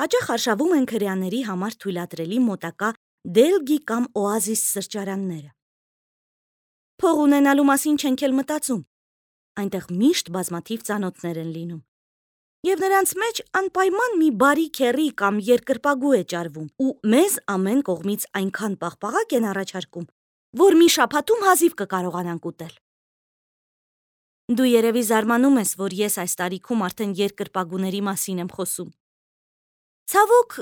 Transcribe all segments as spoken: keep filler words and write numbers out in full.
Հաճախ արշավում են քրեաների համար թույլատրելի մոտակա Դելգի կամ Օազիս սրճարանները։ Փող ունենալու մասին չենք էլ մտածում, այնտեղ միշտ բազմաթիվ ծանոթներ են լինում։ Եվ նրանց մեջ անպայման մի բարի քեռի կամ երկրպագու է ճարվում, ու մեզ ամեն կողմից այնքան պաղպաղակ են առաջարկում, որ մի շաբաթում հազիվ կկարողանանք ուտել։ Դու երևի զարմանում ես, որ ես այս տարիքում արդեն երկրպագուների մասին եմ խոսում։ Ցավոք,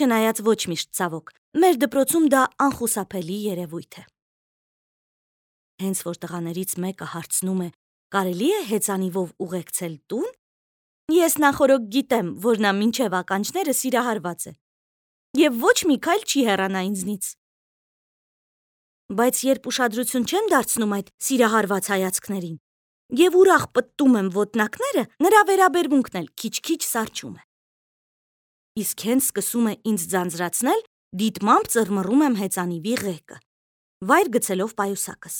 չնայած ոչ միշտ ցավոք, մեր դպրոցում դա անխուսափելի երևույթ է։ Հենց որ տղաներից մեկը հարցնում է, կարելի է հեծանիվով ուղեկցել տուն, ես նախօրոք գիտեմ, որ նա մինչև ականջները սիրահարված է, և ոչ մի քայլ չի հեռանա ինձնից։ Բայց երբ ուշադրություն չեմ դարձնում այդ սիրահարված հայացքներին և ուրախ պտտում եմ ոտնակները, նրա վերաբերմունքն էլ քիչ-քիչ սառչում է։ Իսկ հենց սկսում է ինձ ձանձրացնել, դիտմամբ ծռմռում եմ հեծանիվի ղեկը, վայր գցելով պայուսակս։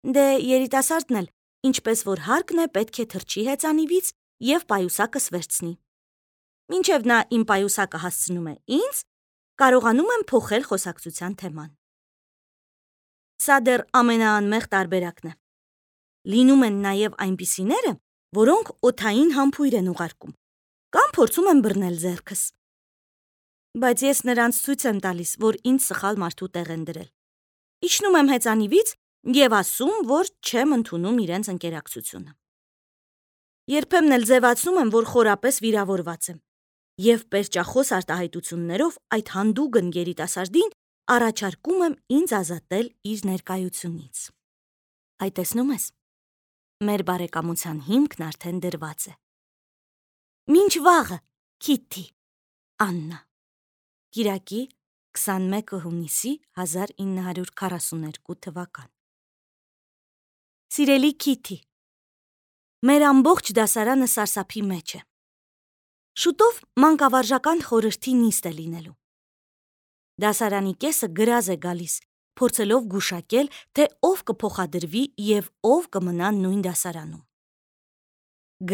Դե երիտասարդն էլ, ինչպես որ հարկն է, պետք է թռչի հեծանիվից և պայուսակս վերցնի։ Մինչև նա իմ պայուսակը հասցնում է ինձ, կարողանում եմ փոխել խոսակցության թեման։ Սա դեռ ամենաանմեղ տարբերակն է։ Լինում են նաև այնպիսիները, որոնք օդային համբույր են ուղարկում, կամ փորձում են բռնել ձեռքս։ Բայց ես նրանց ցույց եմ տալիս, որ ինձ սխալ մարդու տեղ են դրել։ Իջնում եմ հեծանիվից և ասում, որ չեմ ընդունում իրենց ընկերակցությունը։ Երբեմն էլ ձևացնում եմ, որ խորապես վիրավորված եմ, և պերճախոս արտահայտություններով այդ հանդուգն երիտասարդին առաջարկում եմ ինձ ազատել իր ներկայությունից։ Այ տեսնում ես, մեր բարեկամության հիմքն արդեն դրված է։ Մինչ վաղը, Քիթի, Աննա։ Կիրակի, քսանմեկը հունիսի հազար ինը հարյուր քառասուներկու թվական։ Սիրելի Քիթի, մեր ամբողջ դասարանը սարսափի մեջ է։ Շուտով մանկավարժական խորհրդի նիստ է լինելու։ Դասարանի կեսը գրազ է գալիս, փորձելով գուշակել, թե ով կփոխադրվի և ով կմնա նույն դասարանում։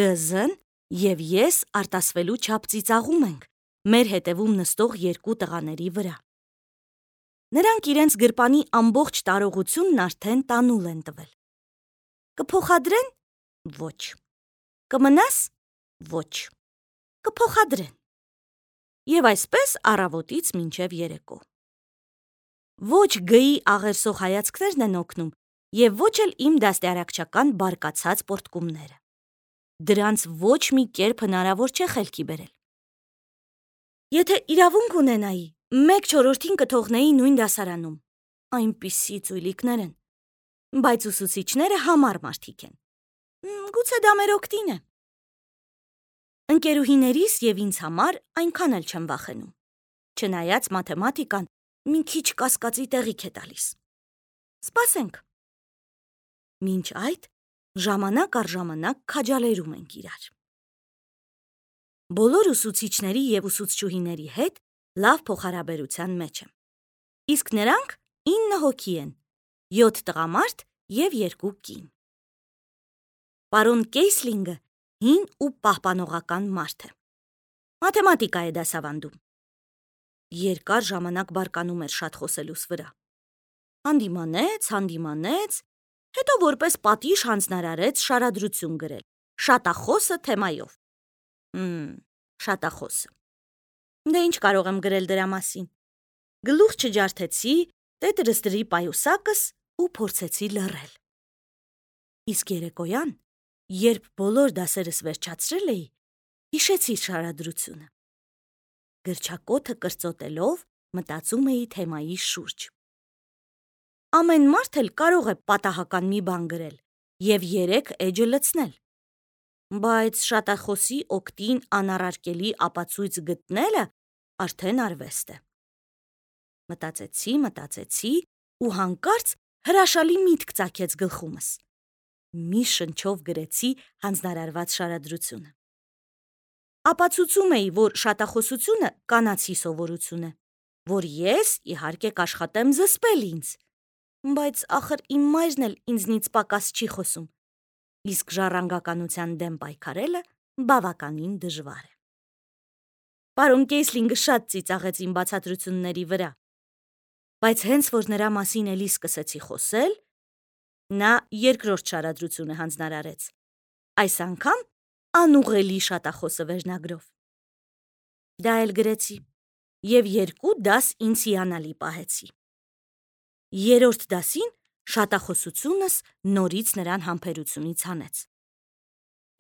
Գ.Զ.-ն և ես արտասվելու չափ ծիծաղում ենք մեր հետևում նստող երկու տղաների վրա։ Նրանք իրենց գրպանի ամբողջ տարողությունն արդեն տանուլ են տվել։ Կփոխադրեն։ Ոչ։ Կմնաս։ Ոչ։ Կփոխադրեն։ Եվ այսպես առավոտից մինչև երեկո։ Ոչ Գ.-ի աղերսող հայացքներն են օգնում, և ոչ էլ իմ դաստիարակչական բարկացած պոռթկումները։ Դրանց ոչ մի կերպ հնարավոր չէ խելքի բերել։ Եթե իրավունք ունենայի, մեկ չորրորդին կթողնեի նույն դասարանում։ Այնպիսի ծույլիկներ են, բայց ուսուցիչները համառ մարդիկ են։ Գուցե դա մեր օգտին է։ Ընկերուհիներիս և ինձ համար այնքան էլ չեմ վախենում, չնայած մաթեմատիկան մի քիչ կասկածի տեղիք է տալիս։ Սպասենք։ Մինչ այդ ժամանակ առ ժամանակ քաջալերում ենք իրար։ Բոլոր ուսուցիչների և ուսուցչուհիների հետ լավ փոխհարաբերության մեջ եմ։ Իսկ նրանք ինը հոգի են, յոթ տղամարդ և երկու կին։ Պարոն Կեյսլինգը հին ու պահպանողական մարդ է։ Մաթեմատիկա է դասավանդում։ Երկար ժամանակ բարկանում էր շատ խոսելուս վրա։ Հանդիմանեց, հանդիմանեց, հետո որպես պատիժ հանձնարարեց շարադրություն գրել շատախոսը թեմայով։ Հմ, շատախոսը։ Դե ինչ կարող եմ գրել դրա մասին։ Գլուխ չջարդեցի, տետրս դրի պայուսակս ու փորձեցի լռել։ Իսկ երեկոյան, երբ բոլոր դասերս վերջացրել էի, հիշեցի շարադրությունը։ Գրչակոթը կրծոտելով մտածում էի թեմայի շուրջ։ Ամեն մարդ էլ կարող է պատահական մի բան գրել և երեք էջը լցնել, բայց շատախոսի օգտին անառարկելի ապացույց գտնելը արդեն արվեստ է։ Մտածեցի, մտածեցի ու հանկարծ հրաշալի միտք ծագեց գլխումս։ Մի շնչով գրեցի հանձնարարված շարադրությունը։ Ապացուցում էի, որ շատախոսությունը կանացի սովորություն է, որ ես, իհարկե, կաշխատեմ զսպել ինձ, բայց ախր իմ մայրն էլ ինձնից պակաս չի խոսում, իսկ ժառանգականության դեմ պայքարելը բավականին դժվար է։ Պարոն Կեյսլինգը շատ ծիծաղեց իմ բացատրությունների վրա, բայց հենց որ նրա մասին էլի սկսեցի խոսել, նա երկրորդ շարադրությունը հանձնարարեց, այս անգամ անուղղելի շատախոսը վերնագրով։ Դա էլ գրեցի և երկու դաս ինձ հիանալի պահեցի։ Երրորդ դասին շատախոսությունս նորից նրան համբերությունից հանեց։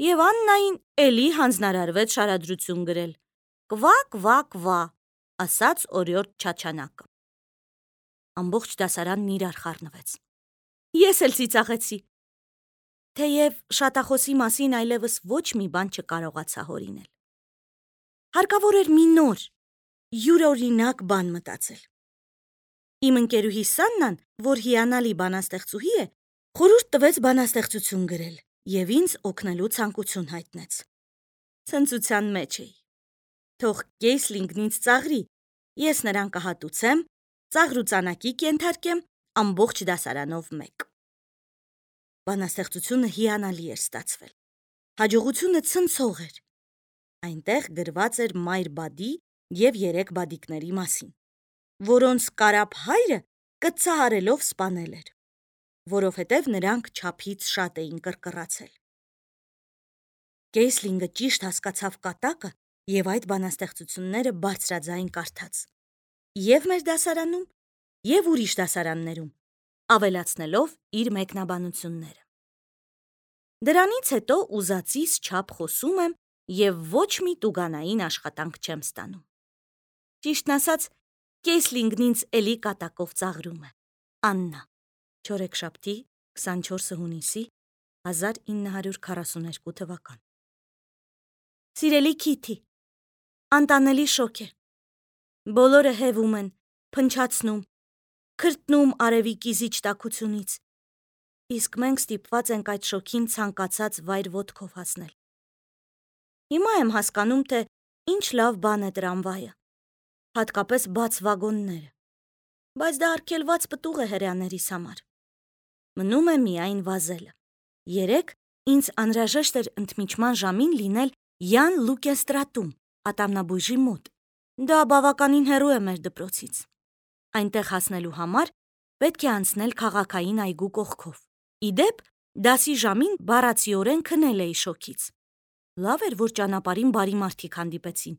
Եվ Աննային էլի հանձնարարվեց շարադրություն գրել. «Կվա, կվա, կվա», ասաց օրիորդ Չաչանակը։ Ամբողջ դասարանն իրար խառնվեց։ Ես էլ ծիծաղեցի, թեև շատախոսի մասին այլևս ոչ մի բան չկարողացա հորինել։ Հարկավոր էր մի նոր, յուրօրինակ բան մտածել։ Իմ ընկերուհի Սաննան, որ հիանալի բանաստեղծուհի է, խորհուրդ տվեց բանաստեղծություն գրել և ինձ օգնելու ցանկություն հայտնեց։ Ցնծության մեջ էի։ Թող Կեյսլինգն ինձ ծաղրի, ես նրան կհատուցեմ, ծաղրուծանակի կենթարկեմ ամբողջ դասարանով մեկ։ Բանաստեղծությունը հիանալի էր ստացվել։ Հաջողությունը ցնցող էր։ Այնտեղ գրված էր մայր բադի և երեք բադիկների մասին, որոնց կարապ հայրը կծահարելով սպանել էր, որովհետև նրանք չափից շատ էին կռկռացել։ Կեյսլինգը ճիշտ հասկացավ կատակը և այդ բանաստեղծությունները բարձրաձայն կարդաց և մեր դասարանում, և ուրիշ դասարաններում, ավելացնելով իր մեկնաբանությունները։ Դրանից հետո ուզածիս չափ խոսում եմ և ոչ մի տուգանային աշխատանք չեմ ստանում։ Ճիշտն ասած, Կեյսլինգն ինձ էլի կատակով ծաղրում է։ Աննա, չորեքշաբթի, քսանչորսը հունիսի, հազար ինը հարյուր քառասունութ թվական։ Սիրելի Քիթի, անտանելի շոկ է։ Բոլորը հևում են, փնչացնում, քրտնում արևի կիզիչ տաքությունից, իսկ մենք ստիպված ենք այդ շոկին ցանկացած վայր ոտքով հասնել։ Հիմա եմ հասկանում, թե ինչ լավ բան է տրամվայը, հատկապես բաց վագոնները, բայց դա արգելված պտուղ է հրեաներիս համար։ Մնում է միայն վազելը։ Երեկ ինձ անհրաժեշտ էր ընդմիջման ժամին լինել Յան Լուկենստրատում, ատամնաբույժի մոտ։ Դա բավականին հեռու է մեր դպրոցից։ Այնտեղ հասնելու համար պետք է անցնել քաղաքային այգու կողքով։ Ի դեպ, դասի ժամին բառացիորեն քնել էի շոկից։ Լավ էր, որ ճանապարհին բարի մարդիկ հանդիպեցին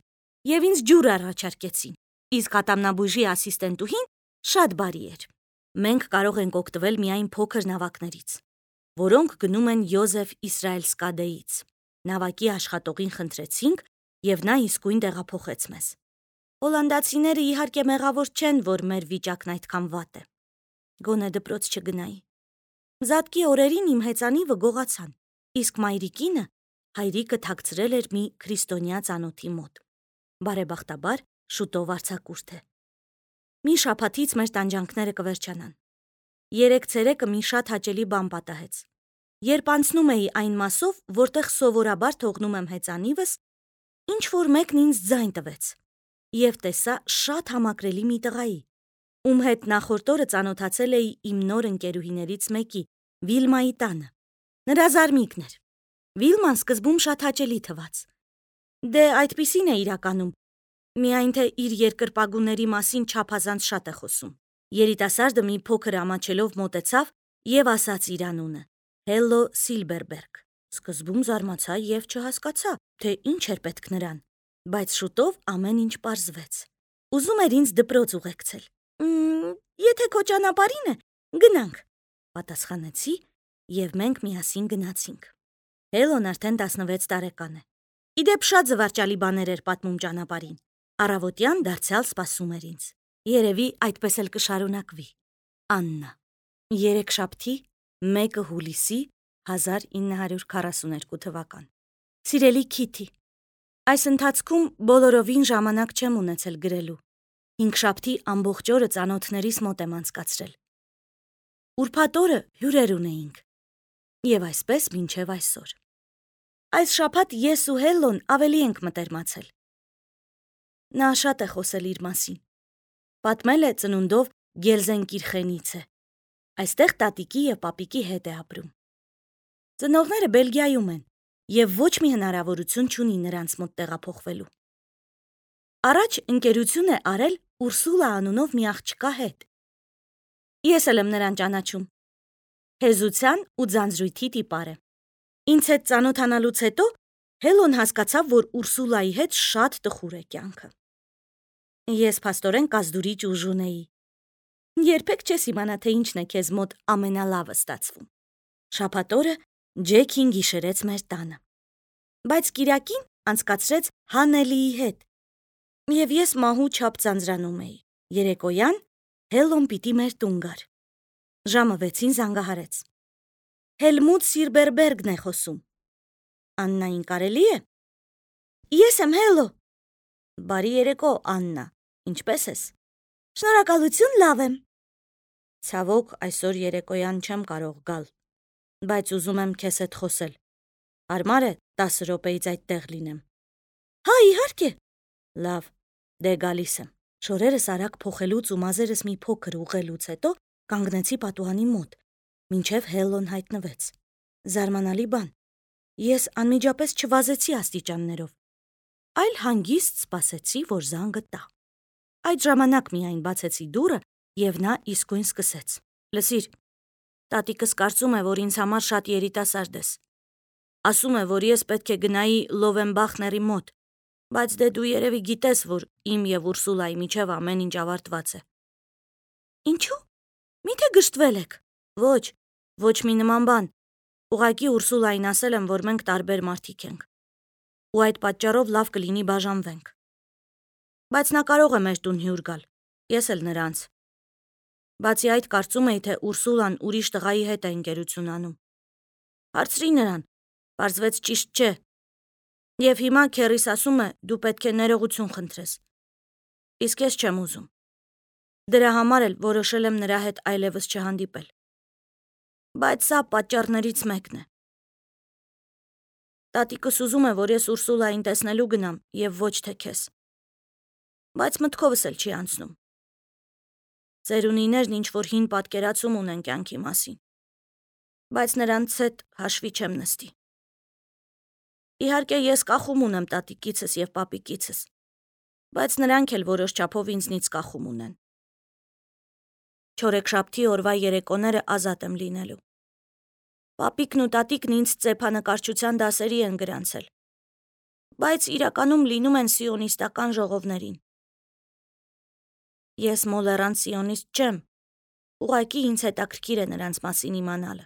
և ինձ ջուր առաջարկեցին, իսկ ատամնաբույժի ասիստենտուհին շատ բարի էր։ Մենք կարող ենք օգտվել միայն փոքր նավակներից, որոնք գնում են Յոզեֆ Իսրայելսկադեից։ Նավակի աշխատողին խնդրեցինք, և նա իսկույն տեղափոխեց մեզ։ Հոլանդացիները իհարկե մեղավոր չեն, որ մեր վիճակն այդքան վատ է։ Գոնե դպրոց չգնայի։ Զատկի օրերին իմ հեծանիվը գողացան, իսկ մայրիկինը հայրիկը թաքցրել էր մի քրիստոնյա ծանոթի մոտ։ Բարեբախտաբար շուտով արձակուրդ է։ Մի շաբաթից մեր տանջանքները կվերջանան։ Երեկ ցերեկը մի շատ հաճելի բան պատահեց։ Երբ անցնում էի այն մասով, որտեղ սովորաբար թողնում եմ հեծանիվս, ինչ-որ մեկն ինձ ձայն տվեց և տեսա շատ համակրելի մի տղայի, ում հետ նախորդ օրը ծանոթացել էի իմ նոր ընկերուհիներից մեկի, Վիլմայի տանը։ Նրա զարմիկն էր։ Վիլման սկզբում շատ հաճելի թվաց։ Դե այդպիսին է իրականում, միայն թե իր երկրպագուների մասին չափազանց շատ է խոսում։ Երիտասարդը մի փոքր ամաչելով մոտեցավ և ասաց իր անունը՝ Հելլո Սիլբերբերգ։ Սկզբում զարմացա և չհասկացա, թե ինչ էր պետք նրան, բայց շուտով ամեն ինչ պարզվեց։ Ուզում էր ինձ դպրոց ուղեկցել։ «Մմ, եթե քո ճանապարհին է, գնանք», պատասխանեցի, և մենք միասին գնացինք։ Հելոն արդեն տասնվեց տարեկան է։ Ի դեպ, շատ զվարճալի բաներ էր պատմում ճանապարհին։ Առավոտյան դարձյալ սպասում էր ինձ։ Երևի այդպես էլ կշարունակվի։ Աննա։ Երեքշաբթի, մեկը հուլիսի, հազար ինը հարյուր քառասունութ թվական։ Սիրելի Քիթի, այս ընթացքում բոլորովին ժամանակ չեմ ունեցել գրելու։ Հինգշաբթի ամբողջ օրը ծանոթներիս մոտ եմ անցկացրել։ Ուրբաթ օրը հյուրեր ունեինք։ Եվ այսպես մինչև այսօր։ Այս շաբաթ ես ու Հելլոն ավելի ենք մտերմացել։ Նա շատ է խոսել իր մասին։ Պատմել է ծնունդով Գելզենկիրխենից է։ Այստեղ տատիկի և պապիկի հետ է ապրում։ Ծնողները Բելգիայում են և ոչ մի հնարավորություն չունի նրանց մոտ տեղափոխվելու։ Առաջ ընկերություն է արել Ուրսուլա անունով մի աղջկա հետ։ Ես էլ եմ նրան ճանաչում։ Հեզության ու ձանձրույթի տիպար է։ Ինձ հետ ծանոթանալուց հետո Հելոն հասկացավ, որ Ուրսուլայի հետ շատ տխուր է կյանքը։ Ես փաստորեն կազդուրիչ ուժ ունեի։ Երբեք չես իմանա, թե ինչն է քեզ մոտ ամենալավը ստացվում։ Շաբաթ օրը Ջեքին գիշերեց մեր տանը, բայց կիրակին անցկացրեց Հանելիի հետ, և ես մահու չափ ձանձրանում էի։ Երեկոյան Հելոն պիտի մեր տուն գար։ Ժամը վեցին զանգահարեց։ Հելմուտ Սիրբերբերգն է խոսում։ Աննային կարելի է։ Ես եմ Հելո։ Բարի երեկո, Աննա, ինչպե՞ս ես։ Շնորհակալություն, լավ եմ։ Ցավոք, այսօր երեկոյան չեմ կարող գալ, բայց ուզում եմ քեզ հետ խոսել։ Հարմար է տասը րոպեից այդտեղ լինեմ։ Հա, իհարկե։ Լավ, դե գալիս եմ։ Շորերս արագ փոխելուց ու մազերս մի փոքր ուղղելուց հետո կանգնեցի պատուհանի մոտ, մինչև Հելոն հայտնվեց։ Զարմանալի բան։ Ես անմիջապես չվազեցի աստիճաններով, այլ հանգիստ սպասեցի, որ զանգը տա։ Այդ ժամանակ միայն բացեցի դուռը, և նա իսկույն սկսեց. Լսիր, տատիկս կարծում է, որ ինձ համար շատ երիտասարդ ես։ Ասում է, որ ես պետք է գնայի Լովենբախների մոտ, բայց դե դու երևի գիտես, որ իմ և Ուրսուլայի միջև ամեն ինչ ավարտված է։ Ինչու՞։ Միթե գժտվել եք։ Ոչ, ոչ մի նման բան։ Ուղղակի Ուրսուլային ասել եմ, որ մենք տարբեր մարդիկ ենք, ու այդ պատճառով լավ կլինի բաժանվենք։ Բայց նա կարող է մեր տուն հյուր գալ, ես էլ նրանց։ Բացի այդ, կարծում էի, թե Ուրսուլան ուրիշ տղայի հետ է ընկերություն անում։ Հարցրի նրան, պարզվեց ճիշտ չէ։ Եվ հիմա քեռիս ասում է, դու պետք է ներողություն խնդրես։ Իսկ ես չեմ ուզում։ Դրա համար էլ որոշել եմ նրա հետ այլևս չհանդիպել։ Բայց սա պատճառներից մեկն է։ Տատիկս ուզում է, որ ես Ուրսուլային տեսնելու գնամ, և ոչ թե քեզ։ Բայց մտքովս էլ չի անցնում։ Ծերունիներն ինչ-որ հին պատկերացում ունեն կյանքի մասին, բայց նրանց հետ հաշվի չեմ նստի։ Իհարկե, ես կախում ունեմ տատիկիցս և պապիկիցս, բայց նրանք էլ որոշ չափով ինձնից կախում ունեն։ Չորեքշաբթի օրվա երեկոները ազատ եմ լինելու։ Պապիկն ու տատիկն ինձ ծեփանկարչության դասերի են գրանցել, բայց իրականում լինում են սիոնիստական ժողովներին։ Ես մոլեռանդ սիոնիստ չեմ, ուղղակի ինձ հետաքրքիր է նրանց մասին իմանալը։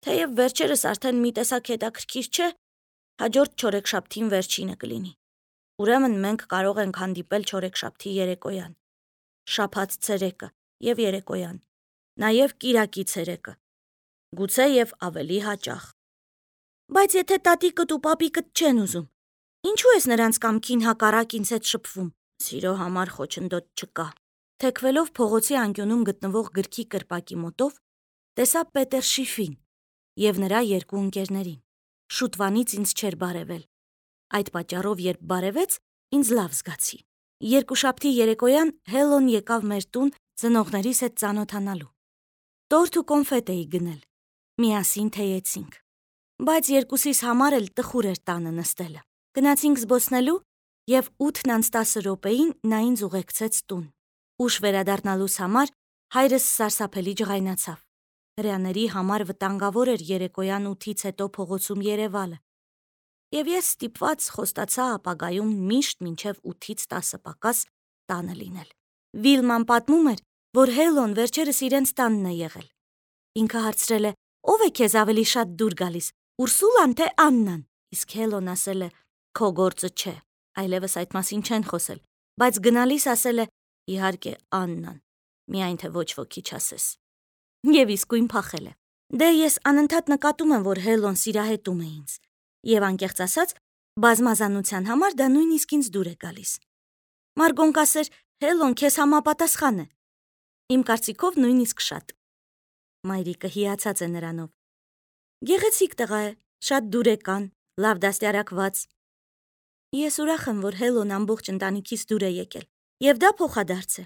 Թեև վերջերս արդեն մի տեսակ հետաքրքիր չէ, հաջորդ չորեքշաբթին վերջինը կլինի։ Ուրեմն մենք կարող ենք հանդիպել չորեքշաբթի երեկոյան, շաբաթ ցերեկը և երեկոյան, նաև կիրակի ցերեկը, գուցե և ավելի հաճախ։ Բայց եթե տատիկդ ու պապիկդ չեն ուզում, ինչու ես նրանց կամքին հակառակ ինձ հետ շփվում։ Սիրո համար խոչընդոտ չկա։ Թեքվելով փողոցի անկյունում գտնվող գրքի կրպակի մոտով, տեսա Պետեր Շիֆին և նրա երկու ընկերներին։ Շուտվանից ինձ չէր բարևել։ Այդ պատճառով, երբ բարևեց, ինձ լավ զգացի։ Երկուշաբթի երեկոյան Հելոն եկավ մեր տուն ծնողներիս հետ ծանոթանալու։ Տորթ ու կոնֆետ էի գնել։ Միասին թեյեցինք։ Բայց երկուսիս համար էլ տխուր էր տանը նստելը։ Գնացինք զբոսնելու, և ութն անց տասը րոպեին նա ինձ ուղեկցեց տուն։ Ուշ վերադառնալուս համար հայրս սարսափելի ջղայնացավ։ Հրեաների համար վտանգավոր էր երեկոյան ութից հետո փողոցում երևալը, և ես ստիպված խոստացա ապագայում միշտ մինչև ութից տասը պակաս տանը լինել։ Վիլման պատմում էր, որ Հելոն վերջերս իրենց տանն է եղել։ Ինքը հարցրել է. ով է քեզ ավելի շատ դուր գալիս, Ուրսուլան թե Աննան։ Իսկ Հելոն ասել է. քո գործը չէ, այլևս այդ մասին չեն խոսել, բայց գնալիս ասել է. իհարկե Աննան, միայն թե ոչ ոքի չասես։ Եվ իսկույն փախել է։ Դե ես անընդհատ նկատում եմ, որ Հելոն սիրահետում է ինձ, և անկեղծ ասած, բազմազանության համար դա նույնիսկ ինձ դուր է գալիս։ Մարգոն կասեր, Հելոն քեզ համապատասխան է։ Իմ կարծիքով նույնիսկ շատ։ Մայրիկը հիացած է նրանով։ Գեղեցիկ տղա է, շատ դուրեկան, լավ դաստիարակված։ Ես ուրախ եմ, որ Հելոն ամբողջ ընտանիքից դուր է եկել, և դա փոխադարձ է։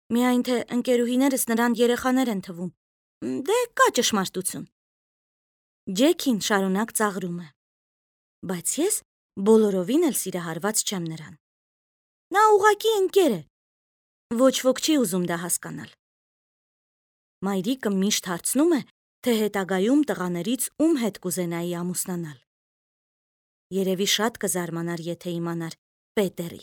Միայն թե ընկերուհիներս նրան երեխաներ են թվում։ Դե կա ճշմարտություն։ Ջեքին շարունակ ծաղրում է։ Բայց ես Բոլորովին էլ սիրահարված չեմ նրան։ Նա ուղղակի ընկեր է։ Ոչ ոք չի ուզում դա հասկանալ։ Մայրիկը միշտ հարցնում է, թե հետագայում տղաներից ում հետ կուզենայի ամուսնանալ։ Երևի շատ կզարմանար, եթե իմանար Պետերի,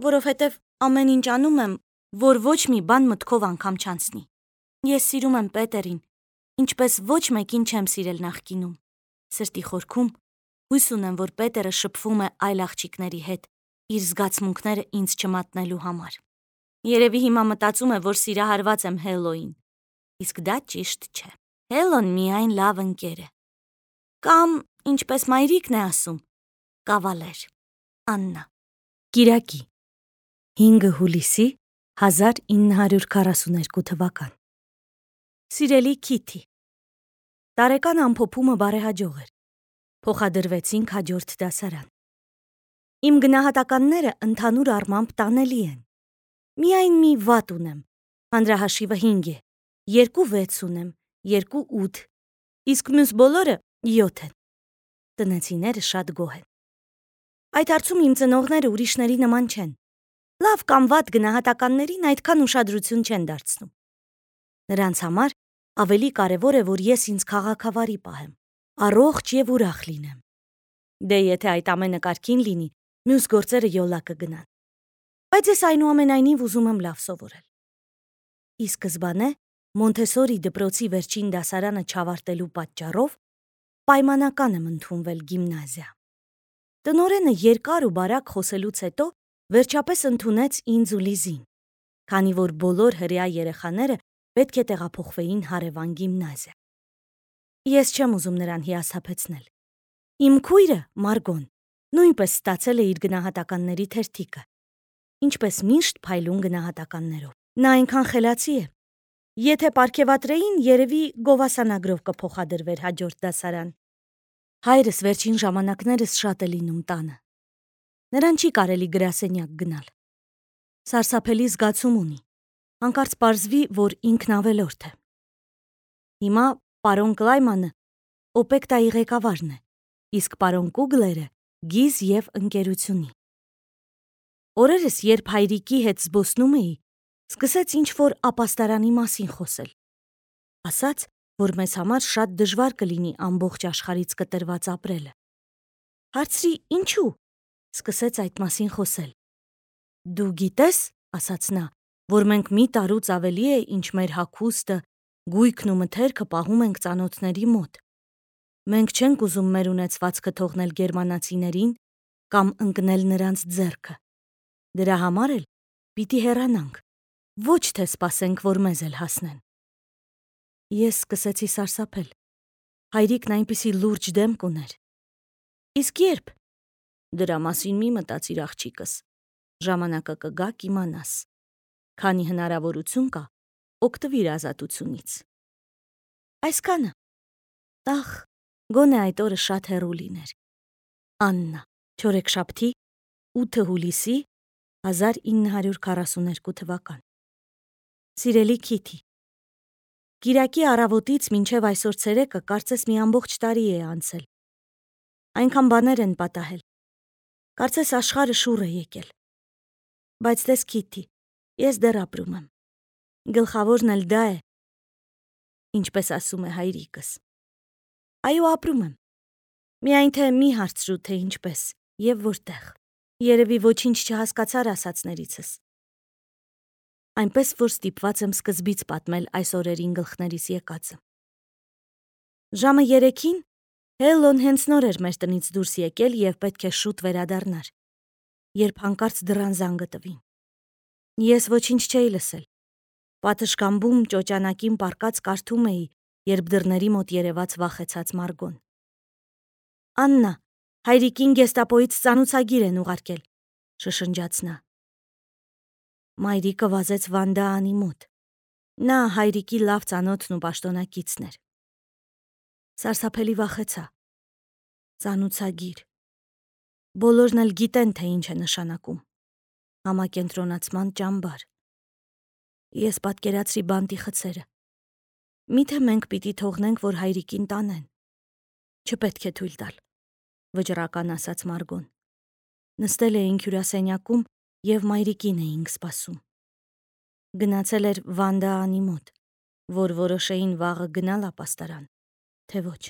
որովհետև ամեն ինչ անում եմ, որ ոչ մի բան մտքով անգամ չանցնի։ Ես սիրում եմ Պետերին, ինչպես ոչ մեկին չեմ սիրել նախկինում։ Սրտի խորքում հույս ունեմ, որ Պետերը շփվում է այլ աղջիկների հետ, իր զգացմունքները ինձ չմատնելու համար։ Երևի հիմա մտածում է, որ սիրահարված եմ Հելոյին, իսկ դա ճիշտ չէ։ Հելոն միայն լավ ընկեր է։ Կամ, ինչպես մայրիկն է ասում, կավալեր։ Աննա։ Կիրակի, հինգ հուլիսի հազար ինը հարյուր քառասուներկու թվական։ Սիրելի Քիթի, տարեկան ամփոփումը բարեհաջող էր։ Փոխադրվեցինք հաջորդ դասարան։ Իմ գնահատականները ընդհանուր առմամբ տանելի են։ Միայն մի վատ ունեմ, հանրահաշիվը հինգ է, երկու վեց ունեմ, երկու ութ, իսկ մյուս բոլորը յոթ են։ Տնեցիները շատ գոհ են։ Այդ հարցում իմ ծնողները ուրիշների նման չեն։ Լավ կամ վատ գնահատականներին այդքան ուշադրություն չեն դարձնում։ Նրանց համար ավելի կարևոր է, որ ես ինձ քաղաքավարի պահեմ, առողջ եւ ուրախ լինեմ։ Դե եթե այդ ամենը կարգին լինի, մյուս գործերը յոլա կգնան։ Բայց ես այնուամենայնիվ ուզում եմ լավ սովորել։ Ի սկզբանե Մոնթեսորի դպրոցի վերջին դասարանը չավարտելու պատճառով պայմանական եմ ընդունվել գիմնազիա։ Տնօրենը երկար ու բարակ խոսելուց հետո վերջապես ընդունեց ինձ ու Լիզին, քանի որ բոլոր հրեա երեխաները պետք է տեղափոխվեին հարևան գիմնազիա։ Ես չեմ ուզում նրան հիասթափեցնել։ Իմ քույրը, Մարգոն, նույնպես ստացել է իր գնահատականների թերթիկը, ինչպես միշտ փայլուն գնահատականներով։ Նա այնքան խելացի է։ Եթե պարգևատրեին, երևի գովասանագրով կփոխադրվեր հաջորդ դասարան։ Հայրս վերջին ժամանակներս շատ է լինում տանը։ Նրան չի կարելի գրասենյակ գնալ։ Սարսափելի զգացում ունի։ Հանկարծ պարզվի, որ ինքն ավելորդ է։ Հիմա պարոն Կլայմանը օպեկտայի ղեկավարն է, իսկ պարոն Կուգլերը գիզ և ընկերությունի։ Օրերս, երբ հայրիկի հետ զբոսնում էի, սկսեց ինչ-որ ապաստարանի մասին խոսել։ Ասաց, որ մեզ համար շատ դժվար կլինի ամբողջ աշխարհից կտրված ապրելը։ Հարցրի՝ ինչու՞, սկսեց այդ մասին խոսել։ Դու գիտես, ասաց նա, որ մենք մի տարուց ավելի է, ինչ մեր հագուստը, գույքն ու մթերքը պահում ենք ծանոթների մոտ։ Մենք չենք ուզում մեր ունեցվածքը թողնել գերմանացիներին կամ ընկնել նրանց ձեռքը։ Դրա համար էլ պիտի հեռանանք, ոչ թե սպասենք, որ մեզ էլ հասնեն։ Ես սկսեցի սարսափել։ Հայրիկն այնպիսի լուրջ դեմք ուներ։ Իսկ երբ։ Դրա մասին մի մտածիր, աղջիկս, ժամանակը կգա կիմանաս։ Քանի հնարավորություն կա, օգտվիր ազատությունից։ Այսքանը։ Ախ, գոնե այդ օրը շատ հեռու լիներ։ Աննա, չորեքշաբթի, ութ հուլիսի հազար ինը հարյուր քառասուներկու թվական։ Սիրելի Քիթի, Կիրակի առավոտից մինչև այսօր ցերեկը կարծես մի ամբողջ տարի է անցել։ Այնքան բաներ են պատահել։ Կարծես աշխարհը շուռ է եկել։ Բայց տես Քիթի, ես դեռ ապրում եմ։ Գլխավորն էլ դա է, ինչպես ասում է հայրիկս։ Այո, ապրում եմ։ Միայն թե մի հարցրու, թե ինչպես եւ որտեղ։ Երևի ոչինչ չհասկացար ասածներիցս։ Այնպես որ ստիպված եմ սկզբից պատմել այս օրերին գլխներիս եկածը։ Ժամը երեքին Հելոն հենց նոր էր մեր տնից դուրս եկել եւ պետք է շուտ վերադառնար, երբ հանկարծ դռան զանգը տվին։ Ես ոչինչ չէի լսել։ Պատշգամբում ճոճանակին պառկած կարդում էի, երբ դռների մոտ երևաց վախեցած Մարգոն։ Աննա, հայրիկին գեստապոյից ծանուցագիր են ուղարկել, շշնջաց նա։ Մայրիկը վազեց Վանդաանի մոտ։ Նա հայրիկի լավ ծանոթն ու պաշտոնակիցն էր։ Սարսափելի վախեցա։ Ծանուցագիր։ Բոլորն էլ գիտեն, թե ինչ է նշանակում։ Համակենտրոնացման ճամբար։ Ես պատկերացրի բանտի խցերը։ Միթե մենք պիտի թողնենք, որ հայրիկին տանեն։ Չպետք է թույլ տալ։ վճռական ասաց Մարգոն։ Նստել էինք հյուրասենյակում և մայրիկին էինք սպասում։ Գնացել էր Վանդա անի մոտ, որ որոշեին վաղը գնալ ապաստարան, թե ոչ։